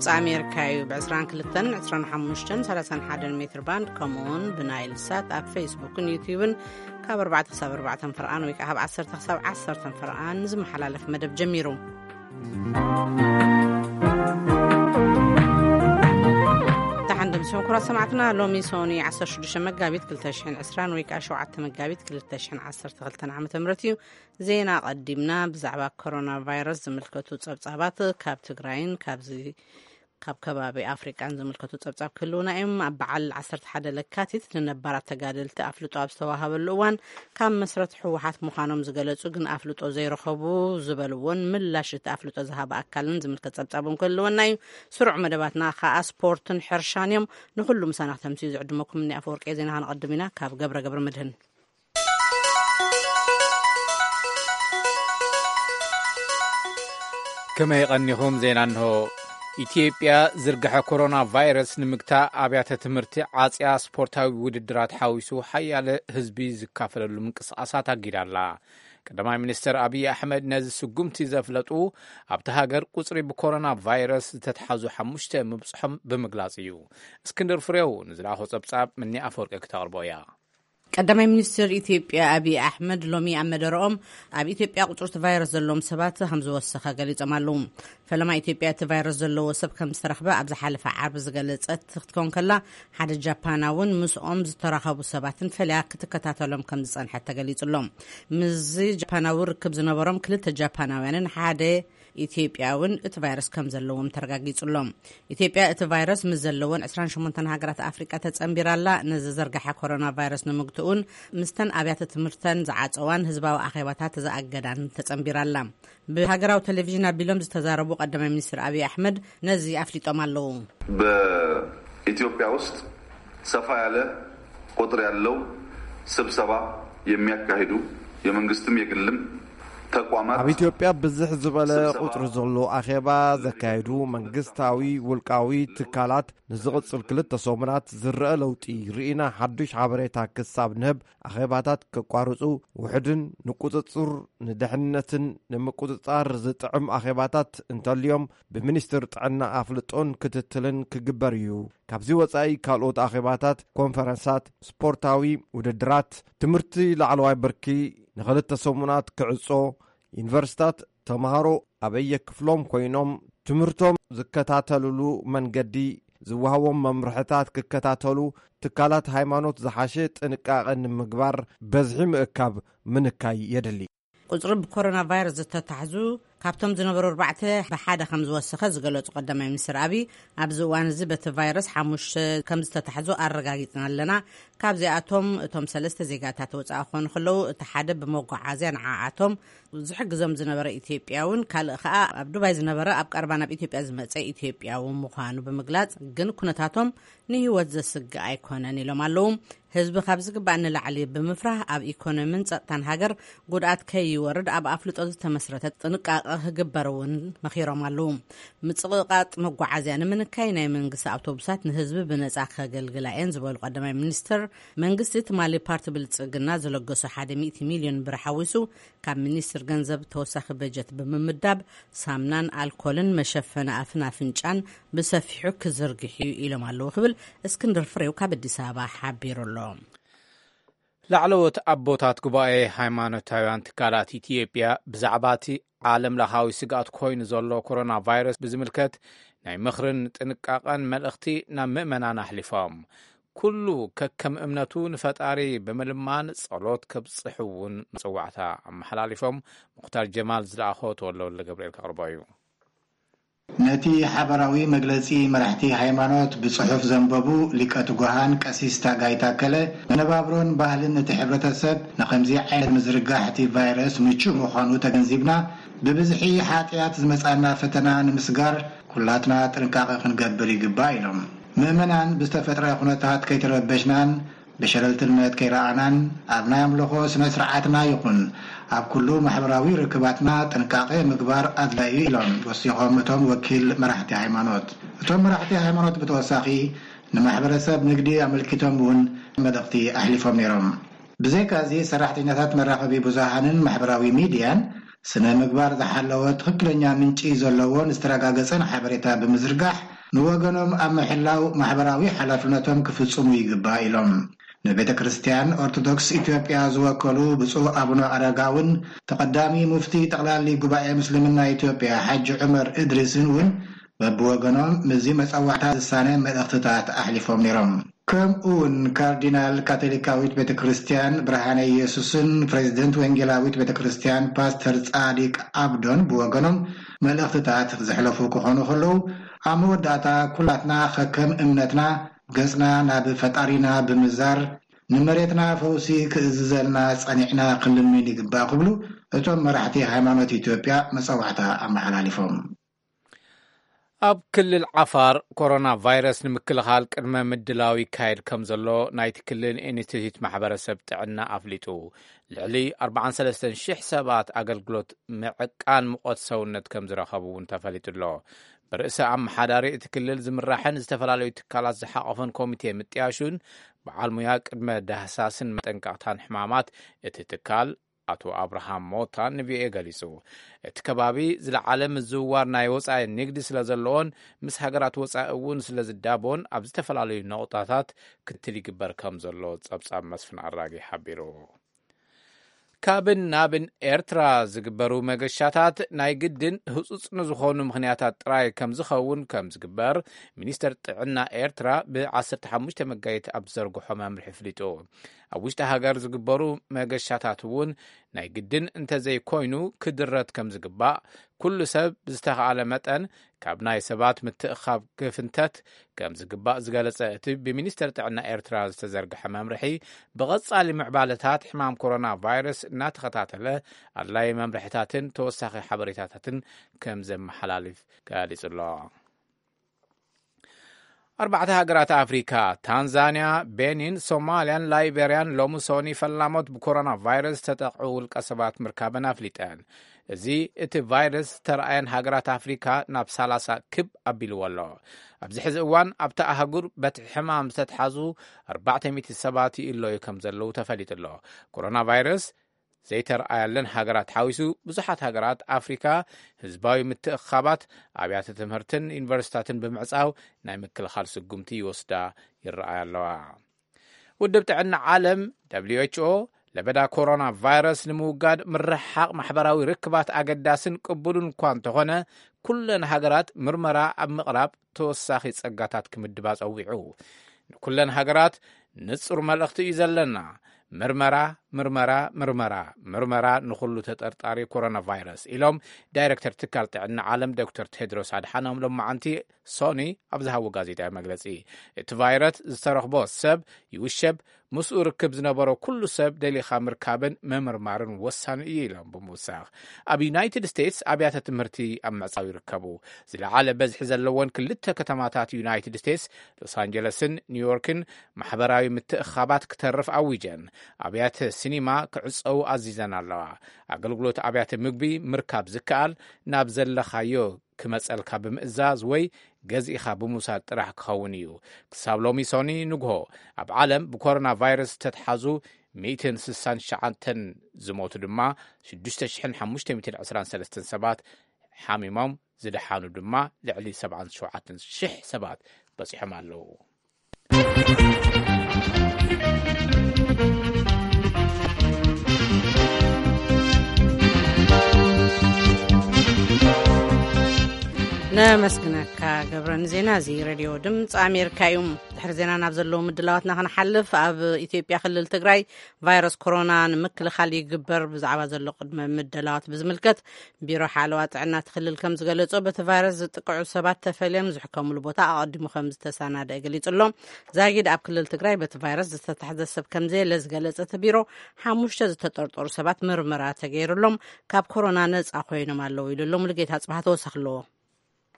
ኣሜሪካ እዩ። ብ22፣ 25፣ 31 ሜትር ባንድ፣ ከምኡውን ብናይል ሳት ኣብ ፌስቡክን ዩቲዩብን ካብ ኣርባዕተ ክሳብ ኣርባዕተ ፍርኣን ወይ ከዓ ካብ ዓሰርተ ክሳብ ዓሰርተ ፍርኣን ዝመሓላለፍ መደብ ጀሚሩ። ደሓን ደምስኩም ክቡራት ሰማዕትና፣ ሎሚ ሶኒ 16 መጋቢት 2020 ወይ ከዓ 7 መጋቢት 2012 ዓ.ም እዩ። ዜና ቀዲምና። ብዛዕባ ኮሮና ቫይረስ ዝምልከቱ ጸብጻባት ካብ ትግራይን ካብዚ ካብ ከባቢ ኣፍሪቃን ዝምልከቱ ጸብጻብ ክህልውና እዮም። ኣብ በዓል 11 ለካቲት ንነባራት ተጋደልቲ ኣፍልጦ ኣብ ዝተዋሃበሉ እዋን ካብ መስረት ህወሓት ምዃኖም ዝገለጹ ግን ኣፍልጦ ዘይረኸቡ ዝበልዎን ምላሽ እቲ ኣፍልጦ ዝሃበ ኣካልን ዝምልከት ጸብጻብ እውን ክህልወና እዩ። ስሩዕ መደባትና ከዓ ስፖርትን ሕርሻን እዮም። ንኹሉ ምሳና ክተምስዩ ዝዕድመኩም እኒ ኣፈወርቂ ዜና። ከነቐድም ኢና ካብ ገብረ ገብረ መድህን። ከመይ ቀኒኹም? ዜና እንሆ። ኢትዮጵያ ዝርግሐ ኮሮና ቫይረስ ንምግታእ ኣብያተ ትምህርቲ ዓጽያ ስፖርታዊ ውድድራት ሓዊሱ ሓያለ ህዝቢ ዝካፈለሉ ምንቅስቓሳት ኣጊዳ ኣላ። ቀዳማይ ሚኒስትር ኣብይ ኣሕመድ ነዚ ስጉምቲ ዘፍለጡ ኣብቲ ሃገር ቁጽሪ ብኮሮና ቫይረስ ዝተትሓዙ ሓሙሽተ ምብጽሖም ብምግላጽ እዩ። እስክንድር ፍሬው ንዝለኣኾ ጸብጻብ ምኒ ኣፈወርቂ ክተቕርቦ እያ። ቀዳማይ ሚኒስትር ኢትዮጵያ ኣብይ ኣሕመድ ሎሚ ኣብ መደረኦም ኣብ ኢትዮጵያ ቁጽሪ እቲ ቫይረስ ዘለዎም ሰባት ከም ዝወሰኸ ገሊጾም ኣለዉ። ፈለማ ኢትዮጵያ እቲ ቫይረስ ዘለዎ ሰብ ከም ዝተረኽበ ኣብ ዝሓለፈ ዓርቢ ዝገለጸት ክትከውን ከላ፣ ሓደ ጃፓናውን ምስኦም ዝተራኸቡ ሰባትን ፈልያ ክትከታተሎም ከም ዝጸንሐት ተገሊጹ ኣሎ። ምስዚ ጃፓናዊ ርክብ ዝነበሮም ክልተ ጃፓናውያንን ሓደ ኢትዮጵያውን እቲ ቫይረስ ከም ዘለዎም ተረጋጊጹ ኣሎ። ኢትዮጵያ እቲ ቫይረስ ምስ ዘለወን 28 ሃገራት ኣፍሪቃ ተጸንቢራ ኣላ። ንዝዘርግሐ ኮሮና ቫይረስ ንምግትኡን ምስተን ኣብያተ ትምህርተን ዝዓጸዋን ህዝባዊ ኣኼባታት ዝኣገዳን ተጸንቢራ ኣላ። ብሃገራዊ ቴሌቪዥን ኣቢሎም ዝተዛረቡ ቀዳማይ ሚኒስትር ኣብይ ኣሕመድ ነዚ ኣፍሊጦም ኣለዉ። በኢትዮጵያ ውስጥ ሰፋ ያለ ቁጥር ያለው ስብሰባ የሚያካሂዱ የመንግስትም የግልም ተቋማት ኣብ ኢትዮጵያ ብዝሕ ዝበለ ስብሰባ ቁጽሪ ዘሎ ኣኼባ ዘካየዱ መንግስታዊ ውልቃዊ ትካላት ንዝቕጽል ክልተ ሰሙናት ዝረአ ለውጢ ርኢና ሓዱሽ ሓበሬታ ክሳብ ንህብ ኣኼባታት ከቋርጹ፣ ውሕድን ንቁጽጽር ንድሕንነትን ንምቁጽጻር ዝጥዕም ኣኼባታት እንተልዮም ብሚኒስትር ጥዕና ኣፍልጦን ክትትልን ክግበር እዩ። ካብዚ ወጻኢ ካልኦት ኣኼባታት፣ ኮንፈረንሳት፣ ስፖርታዊ ውድድራት፣ ትምህርቲ ላዕለዋይ ብርኪ ንኽልተ ሰሙናት ክዕጾ፣ ዩኒቨርሲታት ተምሃሮ ኣበየ ክፍሎም ኮይኖም ትምህርቶም ዝከታተልሉ መንገዲ፣ ዝወሃቦም መምርሕታት ክከታተሉ፣ ትካላት ሃይማኖት ዝሓሸ ጥንቃቐ ንምግባር በዝሒ ምእካብ ምንካይ የድሊ። ቁጽሪ ብኮሮና ቫይረስ ዝተታሕዙ ካብቶም ዝነበሩ ኣርባዕተ ብሓደ ከም ዝወሰኸ ዝገለጹ ቀዳማይ ሚኒስትር ኣብይ፣ ኣብዚ እዋን እዚ በቲ ቫይረስ ሓሙሽተ ከም ዝተታሕዙ ኣረጋጊጽና ኣለና። ካብዚኣቶም እቶም ሰለስተ ዜጋታት ወጻኢ ክኾኑ ከለዉ፣ እቲ ሓደ ብመጓዓዝያ ንዓኣቶም ዝሕግዞም ዝነበረ ኢትዮጵያውን ካልእ ከኣ ኣብ ዱባይ ዝነበረ ኣብ ቀረባ ናብ ኢትዮጵያ ዝመጸ ኢትዮጵያዊ ምዃኑ ብምግላጽ፣ ግን ኩነታቶም ንህይወት ዘስግእ ኣይኮነን ኢሎም ኣለዉ። ህዝቢ ካብ ዝግባእ ንላዕሊ ብምፍራህ ኣብ ኢኮኖሚን ጸጥታን ሃገር ጉድኣት ከይወርድ ኣብ ኣፍልጦ ዝተመስረተ ጥንቃቐ ክግበር እውን መኺሮም ኣለዉ። ምጽቕቓጥ መጓዓዝያ ንምንካይ ናይ መንግስቲ ኣውቶቡሳት ንህዝቢ ብነጻ ከገልግላ እየን ዝበሉ ቀዳማይ ሚኒስትር፣ መንግስቲ ትማሊ ፓርቲ ብልጽግና ዝለገሶ ሓደ ሚእቲ ሚልዮን ብር ሓዊሱ ካብ ሚኒስትር ገንዘብ ተወሳኺ በጀት ብምምዳብ ሳምናን ኣልኮልን መሸፈኒ ኣፍን ኣፍንጫን ብሰፊሑ ክዝርግሕ እዩ ኢሎም ኣለዉ ክብል እስክንድር ፍሬው ካብ ኣዲስ ኣበባ ሓቢሩ ኣሎ። ላዕለዎት ኣቦታት ጉባኤ ሃይማኖታውያን ትካላት ኢትዮጵያ ብዛዕባ እቲ ዓለም ለኻዊ ስግኣት ኮይኑ ዘሎ ኮሮና ቫይረስ ብዝምልከት ናይ ምኽርን ጥንቃቐን መልእኽቲ ናብ ምእመናን ኣሕሊፎም። ኩሉ ከከም እምነቱ ንፈጣሪ ብምልማን ጸሎት ከብጽሕ እውን መጽዋዕታ ኣመሓላሊፎም። ሙኽታር ጀማል ዝለኣኾ ተወልደወልደ ገብርኤል ከቕርቦ እዩ። ነቲ ሓበራዊ መግለጺ መራሕቲ ሃይማኖት ብጽሑፍ ዘንበቡ ሊቀ ትጉሃን ቀሲስ ታጋይ ታከለ፣ መነባብሮን ባህልን እቲ ሕብረተሰብ ንኸምዚ ዓይነት ምዝርጋሕ እቲ ቫይረስ ምቹእ ምዃኑ ተገንዚብና፣ ብብዝሒ ሓጥያት ዝመጻና ፈተና ንምስጋር ኩላትና ጥንቃቐ ክንገብር ይግባእ ኢሎም። ምእመናን ብዝተፈጥረ ኩነታት ከይተረበሽናን ብሸለልትነት ከይረኣናን ኣብ ናይ ኣምልኾ ስነ ስርዓትና ይኹን ኣብ ኩሉ ማሕበራዊ ርክባትና ጥንቃቄ ምግባር ኣድላይ እዩ ኢሎም ወሲኾም እቶም ወኪል መራሕቲ ሃይማኖት። እቶም መራሕቲ ሃይማኖት ብተወሳኺ ንማሕበረሰብ ንግዲ ኣመልኪቶም እውን መልእኽቲ ኣሕሊፎም ነይሮም። ብዘይካ እዚ ሰራሕተኛታት መራኸቢ ብዙሃንን ማሕበራዊ ሚድያን ስነ ምግባር ዝሓለወ ትኽክለኛ ምንጪ ዘለዎን ዝተረጋገጸን ሓበሬታ ብምዝርጋሕ፣ ንወገኖም ኣብ ምሕላው ማሕበራዊ ሓላፍነቶም ክፍጽሙ ይግባእ ኢሎም። ንቤተ ክርስቲያን ኦርቶዶክስ ኢትዮጵያ ዝወከሉ ብፁዕ ኣቡነ ኣረጋውን ተቐዳሚ ሙፍቲ ጠቕላሊ ጉባኤ ምስልምና ኢትዮጵያ ሓጂ ዑመር እድሪስን እውን በብወገኖም ምስዚ መጸዋዕታ ዝሳነ መልእኽትታት ኣሕሊፎም ነይሮም። ከምኡ እውን ካርዲናል ካቶሊካዊት ቤተ ክርስቲያን ብርሃነ ኢየሱስን ፕሬዚደንት ወንጌላዊት ቤተ ክርስቲያን ፓስተር ጻዲቅ ኣብዶን ብወገኖም መልእኽትታት ዘሕለፉ ክኾኑ ከለዉ፣ ኣብ መወዳእታ ኩላትና ከከም እምነትና ገጽና ናብ ፈጣሪና ብምዛር ንመሬትና ፈውሲ ክእዝዘልና ጸኒዕና ክንልምን ይግባእ ክብሉ እቶም መራሕቲ ሃይማኖት ኢትዮጵያ መጸዋዕታ ኣመሓላሊፎም። ኣብ ክልል ዓፋር ኮሮና ቫይረስ ንምክልኻል ቅድመ ምድላው ይካየድ ከም ዘሎ ናይቲ ክልል ኢንስቲትዩት ማሕበረሰብ ጥዕና ኣፍሊጡ። ልዕሊ ኣርባዓን ሰለስተን ሽሕ ሰባት ኣገልግሎት ምዕቃን ሙቐት ሰውነት ከም ዝረኸቡ እውን ተፈሊጡ ኣሎ። ብርእሰ ኣመሓዳሪ እቲ ክልል ዝምራሕን ዝተፈላለዩ ትካላት ዝሓቆፈን ኮሚቴ ምጥያሹን በዓል ሙያ ቅድመ ዳህሳስን መጠንቀቕታን ሕማማት እቲ ትካል ኣቶ ኣብርሃም ሞታ ንቪኦኤ ገሊጹ። እቲ ከባቢ ዝለዓለ ምዝውዋር ናይ ወጻኢ ንግዲ ስለ ዘለዎን ምስ ሃገራት ወጻኢ እውን ስለ ዝዳቦን ኣብ ዝተፈላለዩ ነቑጣታት ክትል ይግበር ከም ዘሎ ጸብጻብ መስፍን ኣራጊ ሓቢሩ። ካብን ናብን ኤርትራ ዝግበሩ መገሻታት ናይ ግድን ህጹጽ ንዝኾኑ ምኽንያታት ጥራይ ከም ዝኸውን ከም ዝግበር ሚኒስተር ጥዕና ኤርትራ ብ ዓሰርተ ሓሙሽተ መጋየት ኣብ ዝዘርግሖ መምርሒ ኣፍሊጡ። ኣብ ውሽጢ ሃገር ዝግበሩ መገሻታት እውን ናይ ግድን እንተዘይኮይኑ ክድረት ከም ዝግባእ፣ ኩሉ ሰብ ብዝተኻእለ መጠን ካብ ናይ ሰባት ምትእኻብ ክፍንተት ከም ዝግባእ ዝገለጸ እቲ ብሚኒስተር ጥዕና ኤርትራ ዝተዘርግሐ መምርሒ፣ ብቐጻሊ ምዕባለታት ሕማም ኮሮና ቫይረስ እናተኸታተለ ኣድላዪ መምርሕታትን ተወሳኺ ሓበሬታታትን ከም ዘመሓላልፍ ገሊጹ ኣሎ። ኣርባዕተ ሃገራት ኣፍሪካ፣ ታንዛንያ፣ ቤኒን፣ ሶማልያን ላይቤርያን ሎሚ ሶኒ ፈላሞት ብኮሮና ቫይረስ ዝተጠቕዑ ውልቀ ሰባት ምርካበን ኣፍሊጠን። እዚ እቲ ቫይረስ ዝተረኣየን ሃገራት ኣፍሪካ ናብ ሰላሳ ክብ ኣቢልዎ ኣሎ። ኣብዚ ሕዚ እዋን ኣብታ ኣህጉር በቲ ሕማም ዝተትሓዙ ኣርባዕተ ሚእቲ ሰባት ይእለዩ ከም ዘለዉ ተፈሊጡ ኣሎ። ኮሮና ቫይረስ ዘይተረኣያለን ሃገራት ሓዊሱ ብዙሓት ሃገራት ኣፍሪካ ህዝባዊ ምትእኻባት ኣብያተ ትምህርትን ዩኒቨርሲታትን ብምዕጻው ናይ ምክልኻል ስጉምቲ ይወስዳ ይረኣያ ኣለዋ። ውድብ ጥዕና ዓለም ደብሊው ኤች ኦ ለበዳ ኮሮና ቫይረስ ንምውጋድ ምርሕሓቕ ማሕበራዊ ርክባት ኣገዳስን ቅቡልን እኳ እንተኾነ፣ ኩለን ሃገራት ምርመራ ኣብ ምቕራብ ተወሳኺ ጸጋታት ክምድባ ጸዊዑ። ንኩለን ሃገራት ንጹር መልእኽቲ እዩ ዘለና። ምርመራ፣ ምርመራ፣ ምርመራ፣ ምርመራ ንኹሉ ተጠርጣሪ ኮሮና ቫይረስ ኢሎም ዳይሬክተር ትካል ጥዕና ዓለም ዶክተር ቴድሮስ ኣድሓኖም ሎማዓንቲ ሶኒ ኣብ ዝሃቦ ጋዜጣዊ መግለጺ። እቲ ቫይረስ ዝተረኽቦ ሰብ ይውሸብ፣ ምስኡ ርክብ ዝነበሮ ኩሉ ሰብ ደሊኻ ምርካብን ምምርማርን ወሳኒ እዩ ኢሎም ብምውሳኽ፣ ኣብ ዩናይትድ ስቴትስ ኣብያተ ትምህርቲ ኣብ ምዕጻው ይርከቡ። ዝለዓለ በዝሒ ዘለወን ክልተ ከተማታት ዩናይትድ ስቴትስ፣ ሎስ ኣንጀለስን ኒውዮርክን፣ ማሕበራዊ ምትእኻባት ክተርፍ ኣዊጀን፣ ኣብያተ ሲኒማ ክዕጸዉ ኣዚዘን ኣለዋ። ኣገልግሎት ኣብያተ ምግቢ ምርካብ ዝከኣል ናብ ዘለኻዮ ክመጸልካ ብምእዛዝ ወይ ገዚእኻ ብምውሳድ ጥራሕ ክኸውን እዩ። ክሳብ ሎሚ ሶኒ ንግሆ ኣብ ዓለም ብኮሮና ቫይረስ ዝተትሓዙ ሚእትን ስሳን ትሽዓተን፣ ዝሞቱ ድማ ሽዱሽተ ሽሕን ሓሙሽተ ሚእትን ዕስራን ሰለስተን ሰባት፣ ሓሚሞም ዝደሓኑ ድማ ልዕሊ ሰብዓን ሸውዓተን ሽሕ ሰባት በጺሖም ኣለዉ። ነመስግነካ ገብረ። ንዜና እዚ ሬድዮ ድምፂ ኣሜሪካ እዩ። ድሕሪ ዜና ናብ ዘለዉ ምድላዋትና ክንሓልፍ፣ ኣብ ኢትዮጵያ ክልል ትግራይ ቫይረስ ኮሮና ንምክልኻል ይግበር ብዛዕባ ዘሎ ቅድመ ምድላዋት ብዝምልከት ቢሮ ሓለዋ ጥዕና እቲ ክልል ከም ዝገለጾ፣ በቲ ቫይረስ ዝጥቅዑ ሰባት ተፈልዮም ዝሕከሙሉ ቦታ ኣቐዲሙ ከም ዝተሰናደአ ገሊጹ ኣሎ። ዛጊድ ኣብ ክልል ትግራይ በቲ ቫይረስ ዝተታሕዘ ሰብ ከም ዘየለ ዝገለጸ እቲ ቢሮ፣ ሓሙሽተ ዝተጠርጠሩ ሰባት ምርመራ ተገይሩሎም ካብ ኮሮና ነጻ ኮይኖም ኣለዉ ኢሉ ኣሎ። ሙሉጌታ ጽባህ ተወሳኺ ኣለዎ።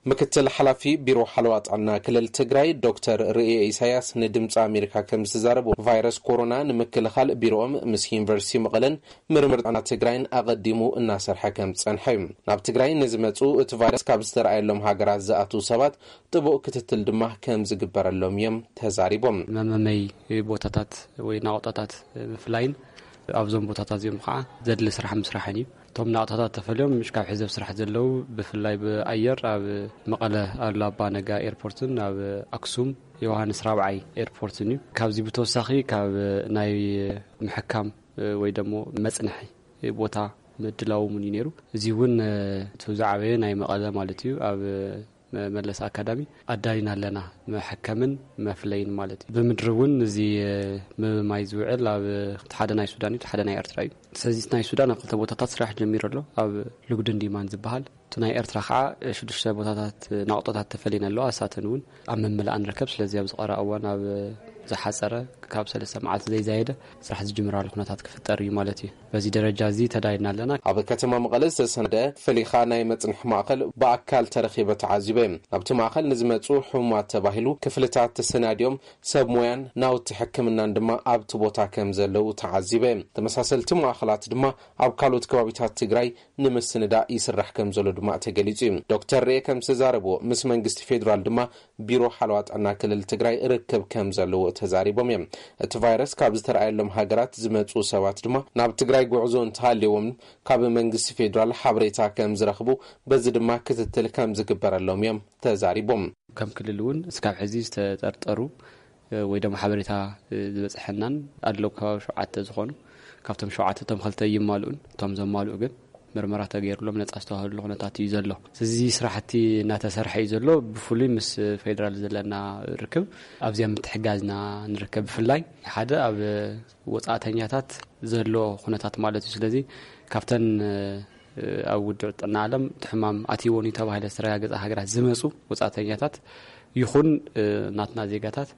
ምክትል ሓላፊ ቢሮ ሓለዋ ጥዕና ክልል ትግራይ ዶክተር ርእየ ኢሳያስ ንድምፂ ኣሜሪካ ከም ዝተዛረቡ፣ ቫይረስ ኮሮና ንምክልኻል ቢሮኦም ምስ ዩኒቨርሲቲ መቐለን ምርምር ጥዕና ትግራይን ኣቐዲሙ እናሰርሐ ከም ዝጸንሐ እዩ። ናብ ትግራይ ንዝመፁ እቲ ቫይረስ ካብ ዝተረኣየሎም ሃገራት ዝኣትዉ ሰባት ጥቡቕ ክትትል ድማ ከም ዝግበረሎም እዮም ተዛሪቦም። መመመይ ቦታታት ወይ ናቑጣታት ምፍላይን ኣብዞም ቦታታት እዚኦም ከዓ ዘድሊ ስራሕ ምስራሕን እዩ። እቶም ናቕጣታት ተፈልዮም ምሽ ካብ ሕዚ ኣብ ስራሕ ዘለዉ፣ ብፍላይ ብኣየር ኣብ መቐለ ኣሉላ ኣባ ነጋ ኤርፖርትን ኣብ ኣክሱም ዮሃንስ ራብዓይ ኤርፖርትን እዩ። ካብዚ ብተወሳኺ ካብ ናይ ምሕካም ወይ ደሞ መጽንሒ ቦታ ምድላው እውን እዩ ነይሩ። እዚ እውን እቲ ዝዓበየ ናይ መቐለ ማለት እዩ። ኣብ መመለስ ኣካዳሚ ኣዳሊና ኣለና፣ መሐከምን መፍለይን ማለት እዩ። ብምድሪ እውን እዚ ምብማይ ዝውዕል ኣብ ሓደ ናይ ሱዳን እዩ፣ ሓደ ናይ ኤርትራ እዩ። ስለዚ ናይ ሱዳን ኣብ ክልተ ቦታታት ስራሕ ጀሚሩ ኣሎ፣ ኣብ ልጉድን ዲማን ዝበሃል። እቲ ናይ ኤርትራ ከዓ ሽዱሽተ ቦታታት ናቕጦታት ተፈሊና ኣለዋ። እሳተን እውን ኣብ ምምላእ ንርከብ። ስለዚ ኣብ ዝቐረበ እዋን ኣብ ዝሓፀረ ካብ ሰለስተ መዓልቲ ዘይዛየደ ስራሕ ዝጅምራሉ ኩነታት ክፍጠር እዩ ማለት እዩ። በዚ ደረጃ እዚ ተዳይና ኣለና። ኣብ ከተማ መቐለ ዝተሰነደ ፈሊኻ ናይ መጽንሒ ማእከል ብኣካል ተረኺበ ተዓዚበ። ኣብቲ ማእከል ንዝመጹ ሕሙማት ተባሂሉ ክፍልታት ተሰናዲዮም ሰብ ሞያን ናውቲ ሕክምናን ድማ ኣብቲ ቦታ ከም ዘለዉ ተዓዚበ። ተመሳሰልቲ ማእከላት ድማ ኣብ ካልኦት ከባቢታት ትግራይ ንምስንዳእ ይስራሕ ከም ዘሎ ድማ ተገሊጹ እዩ። ዶክተር ርኤ ከም ዝተዛረብዎ ምስ መንግስቲ ፌዴራል ድማ ቢሮ ሓለዋ ጥዕና ክልል ትግራይ ርክብ ከም ዘለዎ ተዛሪቦም እዮም። እቲ ቫይረስ ካብ ዝተረኣየሎም ሃገራት ዝመጹ ሰባት ድማ ናብ ትግራይ ጉዕዞ እንተሃልዎም ካብ መንግስቲ ፌዴራል ሓበሬታ ከም ዝረኽቡ፣ በዚ ድማ ክትትል ከም ዝግበረሎም እዮም ተዛሪቦም። ከም ክልል እውን እስካብ ሕዚ ዝተጠርጠሩ ወይ ደሞ ሓበሬታ ዝበፅሐናን ኣለዉ ከባቢ ሸውዓተ ዝኾኑ፣ ካብቶም ሸውዓተ እቶም ክልተ ይማልኡን፣ እቶም ዘማልኡ ግን ምርመራ ተገይሩሎም ነፃ ዝተባህሉ ኩነታት እዩ ዘሎ። እዚ ስራሕቲ እናተሰርሐ እዩ ዘሎ። ብፍሉይ ምስ ፌዴራል ዘለና ርክብ ኣብዚኣ ምትሕጋዝና ንርከብ። ብፍላይ ሓደ ኣብ ወፃእተኛታት ዘሎ ኩነታት ማለት እዩ። ስለዚ ካብተን ኣብ ውድብ ጥዕና ዓለም እቲ ሕማም ኣትይዎን እዩ ተባሂለ ዝተረጋገፀ ሃገራት ዝመፁ ወፃእተኛታት ይኹን ናትና ዜጋታት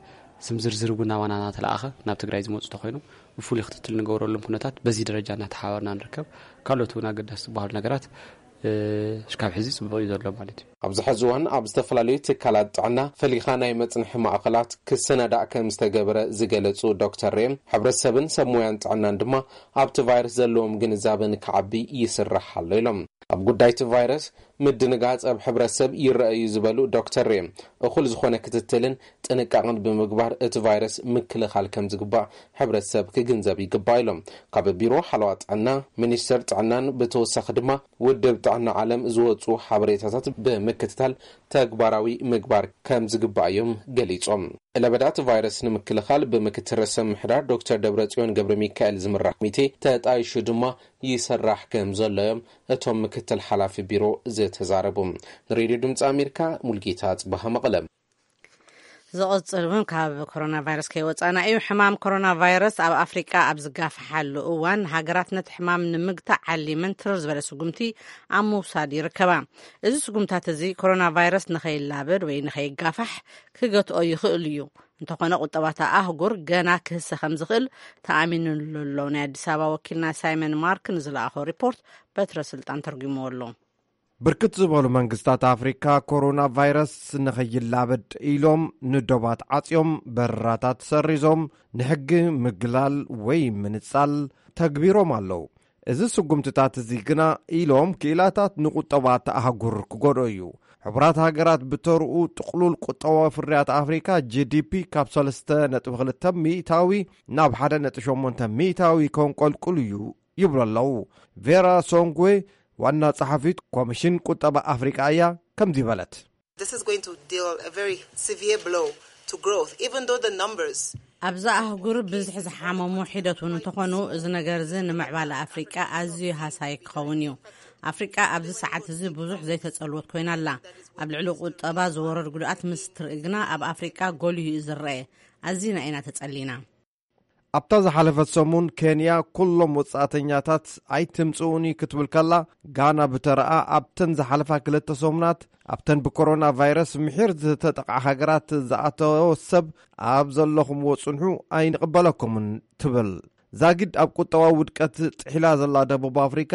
ስም ዝርዝር እውን ናባና እናተለኣኸ ናብ ትግራይ ዝመፁ ተኮይኖም ብፍሉይ ክትትል ንገብረሎም ኩነታት በዚ ደረጃ እናተሓባበርና ንርከብ። ካልኦት እውን ኣገዳሲ ዝበሃሉ ነገራት እስካብ ሕዚ ፅቡቅ እዩ ዘሎ ማለት እዩ። ኣብዚ ሕዚ እዋን ኣብ ዝተፈላለዩ ትካላት ጥዕና ፈሊኻ ናይ መፅንሒ ማእኸላት ክሰናዳእ ከም ዝተገበረ ዝገለፁ ዶክተር ሬም፣ ሕብረተሰብን ሰብ ሞያን ጥዕናን ድማ ኣብቲ ቫይረስ ዘለዎም ግንዛበ ንክዓቢ ይስራሕ ኣሎ ኢሎም። ኣብ ጉዳይ እቲ ቫይረስ ምድንጋፅ ኣብ ሕብረተሰብ ይረአ እዩ ዝበሉ ዶክተር ሬም፣ እኹል ዝኾነ ክትትልን ጥንቃቕን ብምግባር እቲ ቫይረስ ምክልኻል ከም ዝግባእ ሕብረተሰብ ክግንዘብ ይግባእ ኢሎም። ካብ ቢሮ ሓለዋ ጥዕና ሚኒስቴር ጥዕናን ብተወሳኺ ድማ ውድብ ጥዕና ዓለም ዝወፁ ሓበሬታታት ብምክትታል ተግባራዊ ምግባር ከም ዝግባእ እዮም ገሊፆም። ለበዳ እቲ ቫይረስ ንምክልኻል ብምክትል ርእሰ ምምሕዳር ዶክተር ደብረጽዮን ገብረ ሚካኤል ዝምራሕ ኮሚቴ ተጣይሹ ድማ ይስራሕ ከም ዘሎ እዮም እቶም ምክትል ሓላፊ ቢሮ ዝተዛረቡ። ንሬድዮ ድምፂ ኣሜሪካ ሙልጌታ ጽባሃ መቐለ። ዝቕጽል እውን ካብ ኮሮና ቫይረስ ከይወጻና እዩ። ሕማም ኮሮና ቫይረስ ኣብ ኣፍሪቃ ኣብ ዝጋፍሓሉ እዋን፣ ሃገራት ነቲ ሕማም ንምግታእ ዓሊመን ትርር ዝበለ ስጉምቲ ኣብ ምውሳድ ይርከባ። እዚ ስጉምታት እዚ ኮሮና ቫይረስ ንኸይላበድ ወይ ንኸይጋፋሕ ክገትኦ ይኽእል እዩ። እንተኾነ፣ ቁጠባታ ኣህጉር ገና ክህሰ ከም ዝኽእል ተኣሚኑሉ ኣሎ። ናይ ኣዲስ ኣበባ ወኪልና ሳይመን ማርክ ንዝለኣኾ ሪፖርት በትረ ስልጣን ተርጉምዎ ኣሎ። ብርክት ዝበሉ መንግስታት ኣፍሪካ ኮሮና ቫይረስ ንኸይላበድ ኢሎም ንዶባት ዓፅዮም፣ በረራታት ሰሪዞም፣ ንሕጊ ምግላል ወይ ምንፃል ተግቢሮም ኣለዉ። እዚ ስጉምትታት እዚ ግና ኢሎም ክኢላታት ንቁጠባ እታ ኣህጉር ክጎድኦ እዩ። ሕቡራት ሃገራት ብተርኡ ጥቕሉል ቁጠባዊ ፍርያት ኣፍሪካ ጂ ዲ ፒ ካብ ሰለስተ ነጥቢ ክልተ ሚእታዊ ናብ ሓደ ነጥቢ ሸሞንተ ሚእታዊ ከንቆልቁል እዩ ይብሉ ኣለዉ። ቬራ ሶንግዌ ዋና ጸሓፊት ኮሚሽን ቁጠባ ኣፍሪቃ እያ ከምዚ በለት። This is going to deal a very severe blow to growth, even though the numbers ኣብዛ ኣህጉር ብዝሒ ዝሓመሙ ሒደት እውን እንተኾኑ፣ እዚ ነገር እዚ ንምዕባለ ኣፍሪቃ ኣዝዩ ሃሳይ ክኸውን እዩ። ኣፍሪቃ ኣብዚ ሰዓት እዚ ብዙሕ ዘይተጸልወት ኮይና ኣላ። ኣብ ልዕሊ ቁጠባ ዝወረድ ጉድኣት ምስ ትርኢ ግና ኣብ ኣፍሪቃ ጎሊሁ እዩ ዝረአ። ኣዚና ኢና ተጸሊና። ኣብታ ዝሓለፈት ሰሙን ኬንያ ኩሎም ወጻእተኛታት ኣይትምጽኡኒ ክትብል ከላ፣ ጋና ብተረኣ ኣብተን ዝሓለፋ ክልተ ሰሙናት ኣብተን ብኮሮና ቫይረስ ምሒር ዝተጠቕዓ ሃገራት ዝኣተወ ሰብ ኣብ ዘለኹምዎ ጽንሑ ኣይንቕበለኩምን ትብል። ዛጊድ ኣብ ቁጠባዊ ውድቀት ጥሒላ ዘላ ደቡብ ኣፍሪካ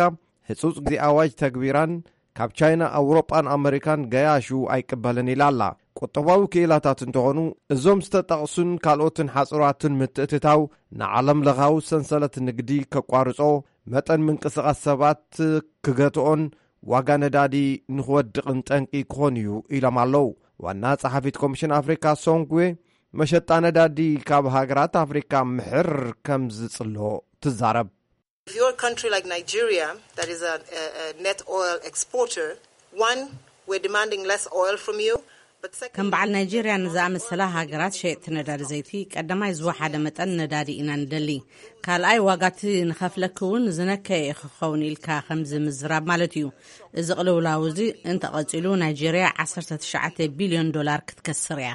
ህጹጽ ግዜ ኣዋጅ ተግቢራን ካብ ቻይና፣ ኣውሮጳን ኣመሪካን ገያሹ ኣይቅበልን ኢላ ኣላ። ቁጠባዊ ክኢላታት እንተኾኑ፣ እዞም ዝተጠቕሱን ካልኦትን ሓጽራትን ምትእትታው ንዓለም ለኻዊ ሰንሰለት ንግዲ ከቋርጾ፣ መጠን ምንቅስቓስ ሰባት ክገትኦን ዋጋ ነዳዲ ንኽወድቕን ጠንቂ ክኾን እዩ ኢሎም ኣለዉ። ዋና ጸሓፊት ኮሚሽን ኣፍሪካ ሶንግዌ፣ መሸጣ ነዳዲ ካብ ሃገራት ኣፍሪካ ምሕር ከም ዝጽሎ ትዛረብ። If you're a country like Nigeria, that is a, a, a net oil exporter, one, we're demanding less oil from you. But second, ከም በዓል ናይጄርያ ንዝኣመሰላ ሃገራት ሸየጥቲ ነዳዲ ዘይቲ፣ ቀዳማይ ዝወሓደ መጠን ነዳዲ ኢና ንደሊ። ካልኣይ፣ ዋጋቲ ንኸፍለኪ እውን ዝነከየ ክኸውን ኢልካ ከምዚ ምዝራብ ማለት እዩ። እዚ ቅልውላው እዚ እንተቐጺሉ፣ ናይጄርያ ዓሰርተ ትሽዓተ ቢልዮን ዶላር ክትከስር እያ።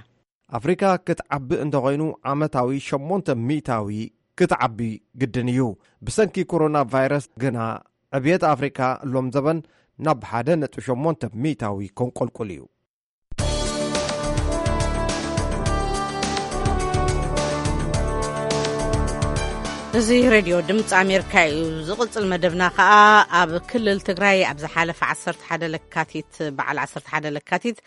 ኣፍሪካ ክትዓቢ እንተኾይኑ ዓመታዊ ሸሞንተ ሚእታዊ ክትዓቢ ግድን እዩ። ብሰንኪ ኮሮና ቫይረስ ግና ዕብየት ኣፍሪካ ሎም ዘበን ናብ ሓደ ነጥቢ ሸሞንተ ሚእታዊ ከንቆልቁል እዩ። እዚ ሬድዮ ድምፂ ኣሜሪካ እዩ። ዝቕፅል መደብና ከዓ ኣብ ክልል ትግራይ ኣብ ዝሓለፈ ዓሰርተ ሓደ ለካቲት በዓል ዓሰርተ ሓደ ለካቲት